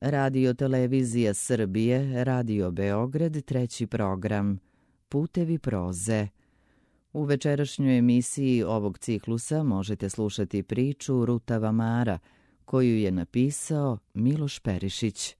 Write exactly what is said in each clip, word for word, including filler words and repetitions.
Radio Televizija Srbije, Radio Beograd, treći program, Putevi proze. U večerašnjoj emisiji ovog ciklusa možete slušati priču Rutava Mara, koju je napisao Miloš Perišić.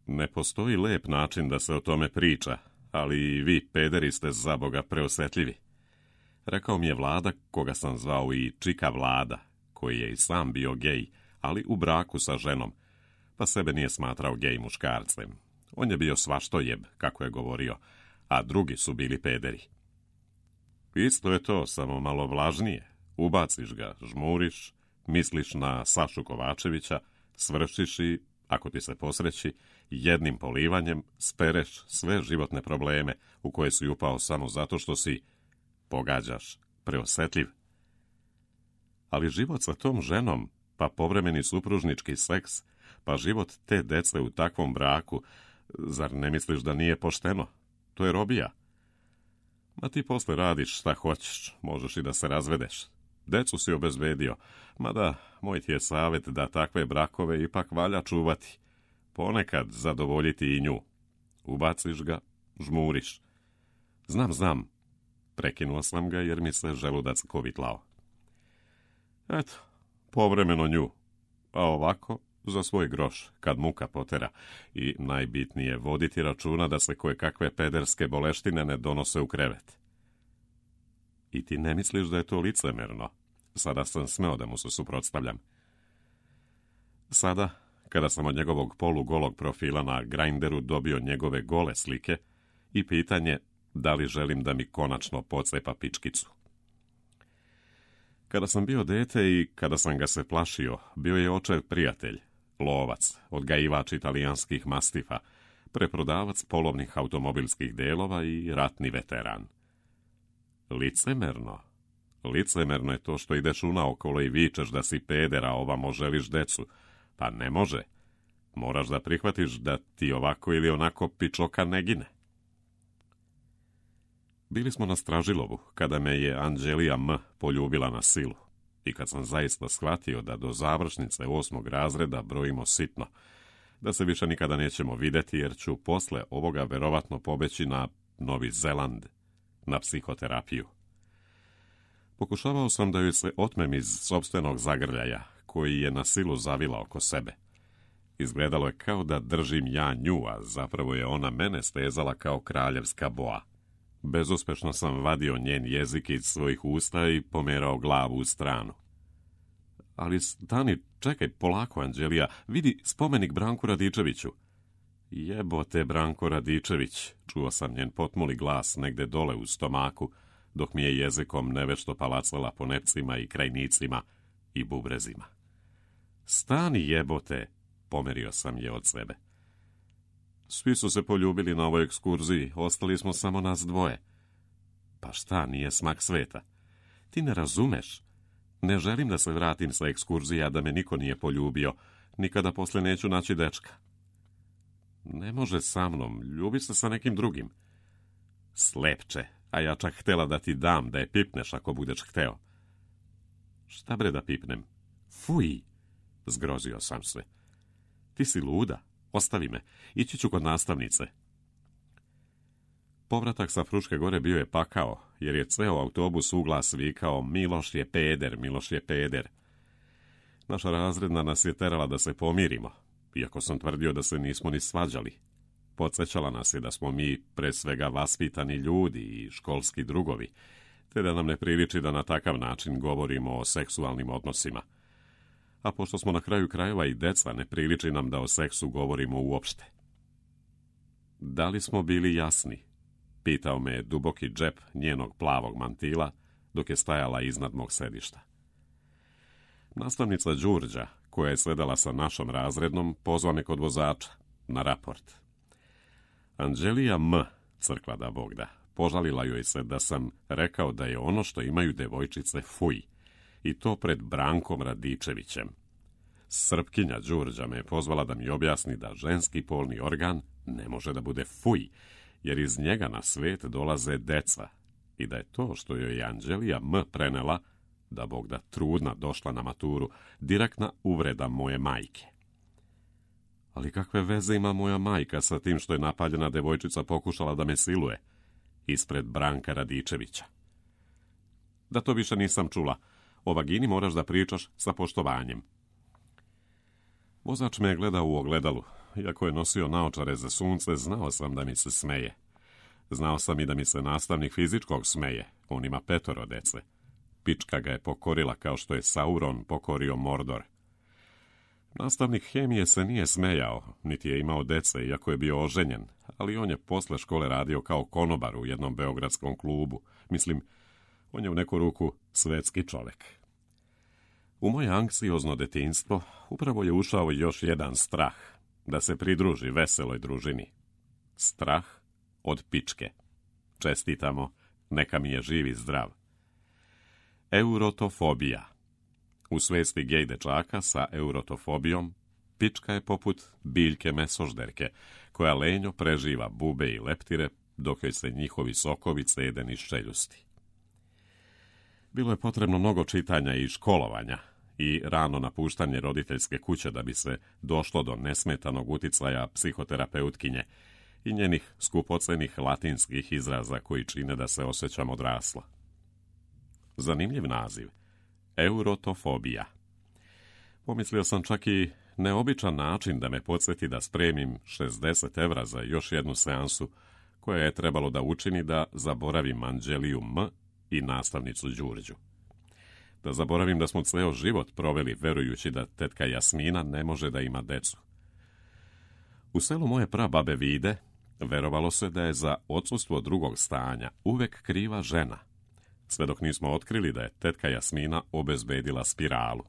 Ne postoji lep način da se o tome priča, ali i vi, pederi, ste za Boga preosetljivi. Rekao mi je Vlada, koga sam zvao i Čika Vlada, koji je i sam bio gej, ali u braku sa ženom, pa sebe nije smatrao gej muškarcem. On je bio svaštojeb, kako je govorio, a drugi su bili pederi. Isto je to, samo malo vlažnije. Ubaciš ga, žmuriš, misliš na Sašu Kovačevića, svršiš i, ako ti se posreći, jednim polivanjem spereš sve životne probleme u koje si upao samo zato što si, pogađaš, preosetljiv. Ali život sa tom ženom, pa povremeni supružnički seks, pa život te dece u takvom braku, zar ne misliš da nije pošteno? To je robija. Ma ti posle radiš šta hoćeš, možeš i da se razvedeš. Decu si obezbedio, mada moj ti je savjet da takve brakove ipak valja čuvati. Ponekad zadovoljiti i nju. Ubaciš ga, žmuriš. Znam, znam. Prekinuo sam ga jer mi se želudac kovitlao. Eto, povremeno nju. A ovako, za svoj groš, kad muka potera. I najbitnije, voditi računa da se koje kakve pederske boleštine ne donose u krevet. I ti ne misliš da je to licemerno? Sada sam smeo da mu se suprotstavljam. Sada, kada sam od njegovog polugolog profila na Grindru dobio njegove gole slike i pitanje da li želim da mi konačno pocepa pičkicu. Kada sam bio dete i kada sam ga se plašio, bio je očev prijatelj, lovac, odgajivač italijanskih mastifa, preprodavac polovnih automobilskih delova i ratni veteran. Licemerno. Licemerno je to što ideš unaokolo i vičeš da si peder, a ovamo želiš decu. Pa ne može. Moraš da prihvatiš da ti ovako ili onako pičoka ne gine. Bili smo na Stražilovu, kada me je Anđelija M. poljubila na silu. I kad sam zaista shvatio da do završnice osmog razreda brojimo sitno, da se više nikada nećemo videti jer ću posle ovoga verovatno pobeći na Novi Zeland, na psihoterapiju. Pokušavao sam da joj se otmem iz sopstvenog zagrljaja, koji je na silu zavila oko sebe. Izgledalo je kao da držim ja nju, a zapravo je ona mene stezala kao kraljevska boa. Bezuspešno sam vadio njen jezik iz svojih usta i pomerao glavu u stranu. Ali stani, čekaj, polako, Anđelija, vidi spomenik Branku Radičeviću. Jebote, Branko Radičević, čuo sam njen potmuli glas negde dole u stomaku, dok mi je jezikom nevešto palacala po nepcima i krajnicima i bubrezima. Stani, jebote, pomerio sam je od sebe. Svi su se poljubili na ovoj ekskurziji, ostali smo samo nas dvoje. Pa šta, nije smak sveta? Ti ne razumeš. Ne želim da se vratim sa ekskurzija da me niko nije poljubio, nikada posle neću naći dečka. Ne može sa mnom, ljubi se sa nekim drugim. Slepče, a ja čak htela da ti dam, da je pipneš ako budeš hteo. Šta bre da pipnem? Fuj, zgrozio sam se. Ti si luda, ostavi me, ići ću kod nastavnice. Povratak sa Fruške gore bio je pakao, jer je ceo autobus uglas vikao Miloš je peder, Miloš je peder. Naša razredna nas je terala da se pomirimo, iako sam tvrdio da se nismo ni svađali. Podsjećala nas je da smo mi pre svega vaspitani ljudi i školski drugovi, te da nam ne priliči da na takav način govorimo o seksualnim odnosima. A pošto smo na kraju krajeva i deca, ne priliči nam da o seksu govorimo uopšte. Da li smo bili jasni? Pitao me je duboki džep njenog plavog mantila, dok je stajala iznad mog sedišta. Nastavnica Đurđa, koja je sedela sa našom razrednom, pozva me kod vozača, na raport. Anđelija M., crkla da Bog da, požalila joj se da sam rekao da je ono što imaju devojčice fuj, i to pred Brankom Radičevićem. Srpkinja Đurđa me je pozvala da mi objasni da ženski polni organ ne može da bude fuj, jer iz njega na svet dolaze deca, i da je to što joj je Anđelija M. prenela, da Bog da trudna došla na maturu, direktna uvreda moje majke. Ali kakve veze ima moja majka sa tim što je napaljena devojčica pokušala da me siluje? Ispred Branka Radičevića. Da to više nisam čula. O vagini moraš da pričaš sa poštovanjem. Vozač me je gledao u ogledalu. Iako je nosio naočare za sunce, znao sam da mi se smeje. Znao sam i da mi se nastavnik fizičkog smeje. On ima petoro dece. Pička ga je pokorila kao što je Sauron pokorio Mordor. Nastavnik hemije se nije smejao, niti je imao dece, iako je bio oženjen, ali on je posle škole radio kao konobar u jednom beogradskom klubu. Mislim, on je u neku ruku svetski čovek. U moje anksiozno detinjstvo upravo je ušao još jedan strah, da se pridruži veseloj družini. Strah od pičke. Čestitamo, neka mi je živ i zdrav. Eurotofobija. U svesti gej dečaka sa eurotofobijom, pička je poput biljke mesožderke, koja lenjo preživa bube i leptire, dok joj se njihovi sokovi cede niz čeljusti. Bilo je potrebno mnogo čitanja i školovanja i rano napuštanje roditeljske kuće da bi se došlo do nesmetanog uticaja psihoterapeutkinje i njenih skupocenih latinskih izraza koji čine da se osjećam odrasla. Zanimljiv naziv. Eurotofobija. Pomislio sam čak i neobičan način da me podsjeti da spremim šezdeset evra za još jednu seansu koja je trebalo da učini da zaboravim Anđeliju M i nastavnicu Đurđu. Da zaboravim da smo ceo život proveli verujući da tetka Jasmina ne može da ima decu. U selu moje prababe Vide verovalo se da je za odsustvo drugog stanja uvek kriva žena, sve dok nismo otkrili da je tetka Jasmina obezbedila spiralu.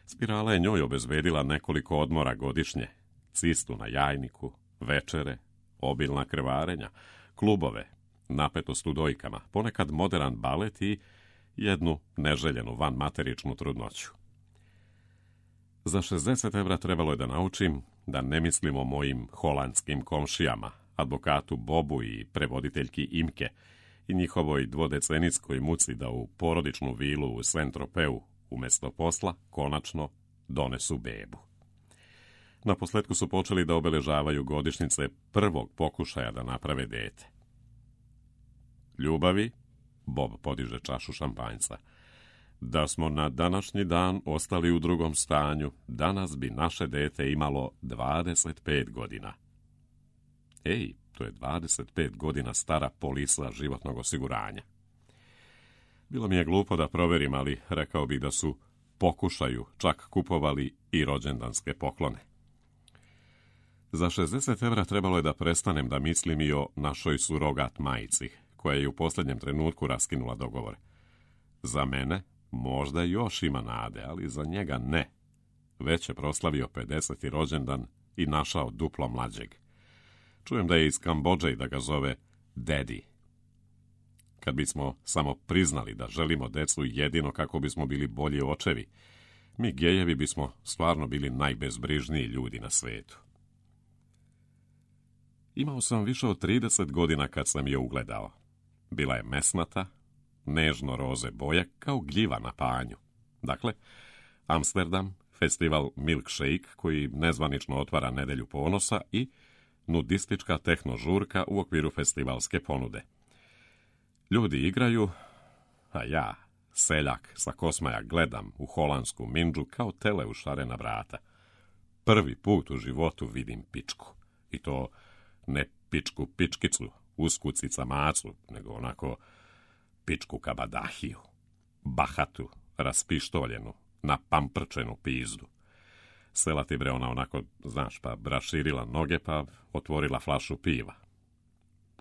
Spirala je njoj obezbedila nekoliko odmora godišnje, cistu na jajniku, večere, obilna krvarenja, klubove, napetost u dojkama, ponekad modern balet i jednu neželjenu vanmateričnu trudnoću. Za šezdeset evra trebalo je da naučim da ne mislim o mojim holandskim komšijama, advokatu Bobu i prevoditeljki Imke, i njihovoj dvodecenijskoj muci da u porodičnu vilu u Saint-Tropeu umjesto posla konačno donesu bebu. Naposletku su počeli da obeležavaju godišnjice prvog pokušaja da naprave dete. Ljubavi, Bob podiže čašu šampanjca, da smo na današnji dan ostali u drugom stanju, danas bi naše dete imalo dvadeset pet godina. Ej, to je dvadeset pet godina stara polisa životnog osiguranja. Bilo mi je glupo da proverim, ali rekao bih da su pokušaju čak kupovali i rođendanske poklone. Za šezdeset evra trebalo je da prestanem da mislim i o našoj surogat majici, koja je u posljednjem trenutku raskinula dogovor. Za mene možda još ima nade, ali za njega ne. Već je proslavio pedeseti rođendan i našao duplo mlađeg. Čujem da je iz Kambodže i da ga zove Daddy. Kad bismo samo priznali da želimo decu jedino kako bismo bili bolji očevi, mi gejevi bismo stvarno bili najbezbrižniji ljudi na svetu. Imao sam više od trideset godina kad sam je ugledao. Bila je mesnata, nežno roze boje, kao gljiva na panju. Dakle, Amsterdam, festival Milkshake, koji nezvanično otvara nedelju ponosa, i nudistička tehnožurka u okviru festivalske ponude. Ljudi igraju, a ja, seljak sa Kosmaja, gledam u holandsku mindžu kao tele u šarena vrata. Prvi put u životu vidim pičku. I to ne pičku pičkicu, uskucica macu, nego onako pičku kabadahiju, bahatu, raspištoljenu, napamprčenu pizdu. Sela ti bre ona onako, znaš, pa raširila noge, pa otvorila flašu piva.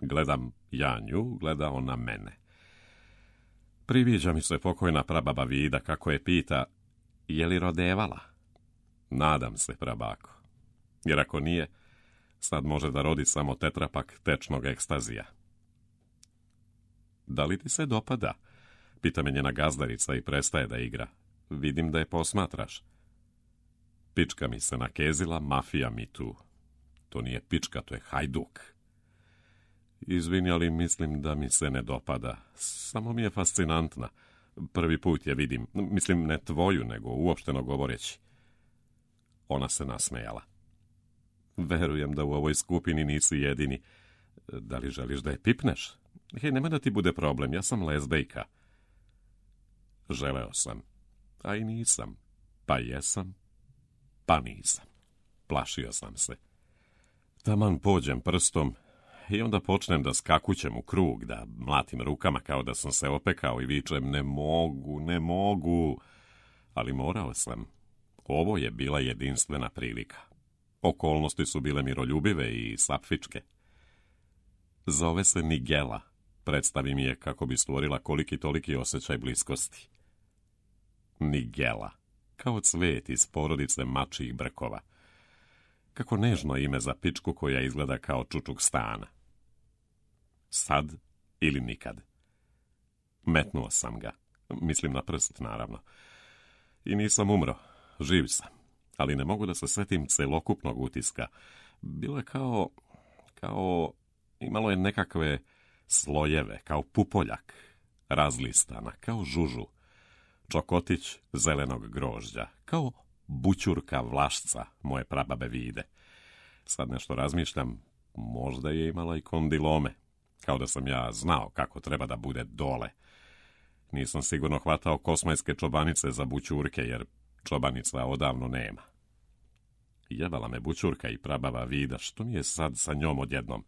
Gledam ja nju, gleda ona mene. Priviđa mi se pokojna prababa Vida kako je pita, je li rodevala? Nadam se, prabako. Jer ako nije, sad može da rodi samo tetrapak tečnog ekstazija. Da li ti se dopada? Pita me njena gazdarica i prestaje da igra. Vidim da je posmatraš. Pička mi se nakezila, mafija mi tu. To nije pička, to je hajduk. Izvini, ali mislim da mi se ne dopada. Samo mi je fascinantna. Prvi put je vidim. Mislim, ne tvoju, nego uopšteno govoreći. Ona se nasmejala. Verujem da u ovoj skupini nisi jedini. Da li želiš da je pipneš? Hej, nema da ti bude problem, ja sam lezbejka. Želeo sam, a i nisam. Pa jesam, pa nisam. Plašio sam se. Taman pođem prstom i onda počnem da skakućem u krug, da mlatim rukama kao da sam se opekao i vičem ne mogu, ne mogu. Ali morao sam. Ovo je bila jedinstvena prilika. Okolnosti su bile miroljubive i sapfičke. Zove se Nigela. Predstavi mi je kako bi stvorila koliki toliki osjećaj bliskosti. Nigela. Kao cvet iz porodice mačijih brkova. Kako nežno ime za pičku koja izgleda kao čučuk stana. Sad ili nikad. Metnuo sam ga. Mislim na prst, naravno. I nisam umro. Živ sam. Ali ne mogu da se setim celokupnog utiska. Bilo je kao... kao... imalo je nekakve slojeve, kao pupoljak. Razlistana, kao žužu. Čokotić zelenog grožđa, kao bućurka vlašca moje prababe vide. Sad nešto razmišljam, možda je imala i kondilome, kao da sam ja znao kako treba da bude dole. Nisam sigurno hvatao kosmajske čobanice za bućurke, jer čobanica odavno nema. Jebala me bućurka i prabava vida, što mi je sad sa njom odjednom?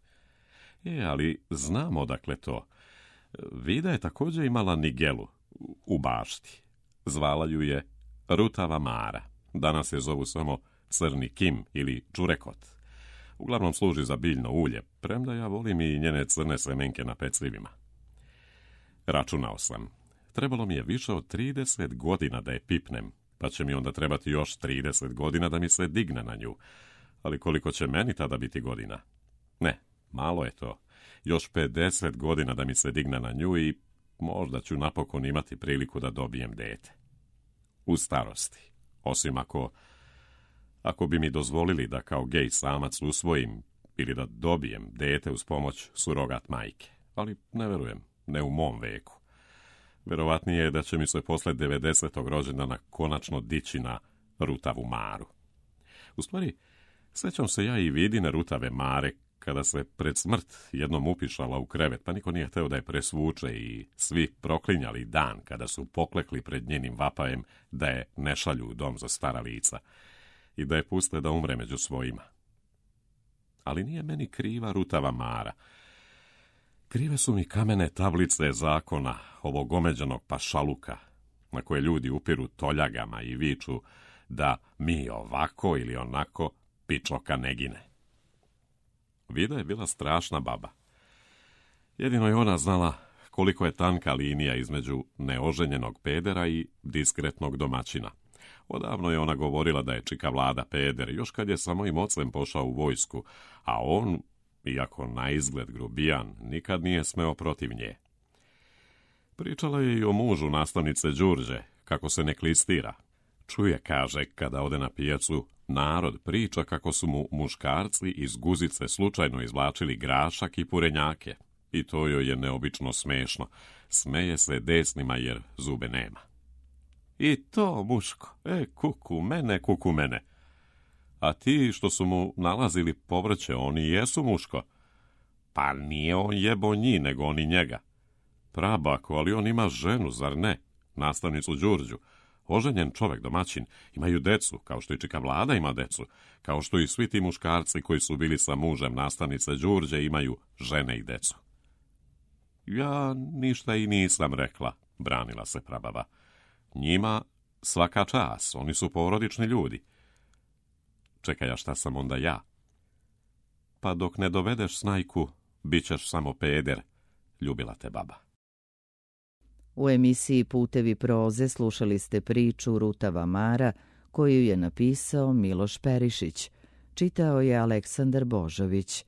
E, ali znam odakle to. Vida je također imala Nigelu u bašti. Zvala ju je Rutava Mara. Danas je zovu samo Crni Kim ili Čurekot. Uglavnom služi za biljno ulje, premda ja volim i njene crne semenke na pecljivima. Računao sam. Trebalo mi je više od trideset godina da je pipnem, pa će mi onda trebati još trideset godina da mi se digne na nju. Ali koliko će meni tada biti godina? Ne, malo je to. Još pedeset godina da mi se digne na nju i možda ću napokon imati priliku da dobijem dete. U starosti. Osim ako... ako bi mi dozvolili da kao gej samac usvojim ili da dobijem dete uz pomoć surogat majke. Ali ne verujem, ne u mom veku. Verovatnije je da će mi se posle devedesetog rođendana konačno dići na Rutavu Maru. U stvari, sećam se ja i vidine Rutave Mare, kada se pred smrt jednom upišala u krevet, pa niko nije hteo da je presvuče i svi proklinjali dan kada su poklekli pred njenim vapajem da je ne šalju u dom za stara lica i da je puste da umre među svojima. Ali nije meni kriva Rutava Mara. Krive su mi kamene tablice zakona ovog omeđenog pašaluka, na koje ljudi upiru toljagama i viču da mi ovako ili onako pičoka ne gine. Vida je bila strašna baba. Jedino je ona znala koliko je tanka linija između neoženjenog pedera i diskretnog domaćina. Odavno je ona govorila da je čika Vlada peder, još kad je sa mojim ocem pošao u vojsku, a on, iako na izgled grubijan, nikad nije smeo protiv nje. Pričala je i o mužu nastavnice Đurđe, kako se ne klistira. Čuje, kaže, kada ode na pijacu, narod priča kako su mu muškarci iz guzice slučajno izvlačili grašak i purenjake. I to joj je neobično smešno. Smeje se desnima jer zube nema. I to, muško, e, kuku mene, kuku mene. A ti što su mu nalazili povrće, oni jesu, muško. Pa nije on jebo njih, nego oni njega. Prabako, ali on ima ženu, zar ne? Nastavnicu Đurđu. Oženjen čovek, domaćin, imaju decu, kao što i čika Vlada ima decu, kao što i svi ti muškarci koji su bili sa mužem nastavnice Đurđe imaju žene i decu. Ja ništa i nisam rekla, branila se prababa. Njima svaka čas, oni su porodični ljudi. Čekaj, a šta sam onda ja? Pa dok ne dovedeš snajku, bit ćeš samo peder, ljubila te baba. U emisiji Putevi proze slušali ste priču Rutava Mara, koju je napisao Miloš Perišić. Čitao je Aleksandar Božović.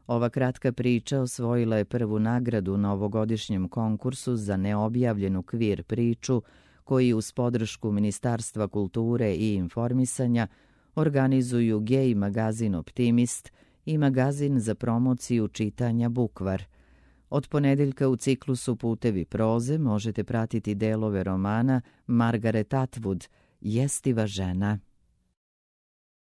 Ova kratka priča osvojila je prvu nagradu na ovogodišnjem konkursu za neobjavljenu kvir priču, koji uz podršku Ministarstva kulture i informisanja organizuju gej magazin Optimist i magazin za promociju čitanja Bukvar. Od ponedeljka u ciklusu Putevi proze možete pratiti delove romana Margaret Atwood, Jestiva žena.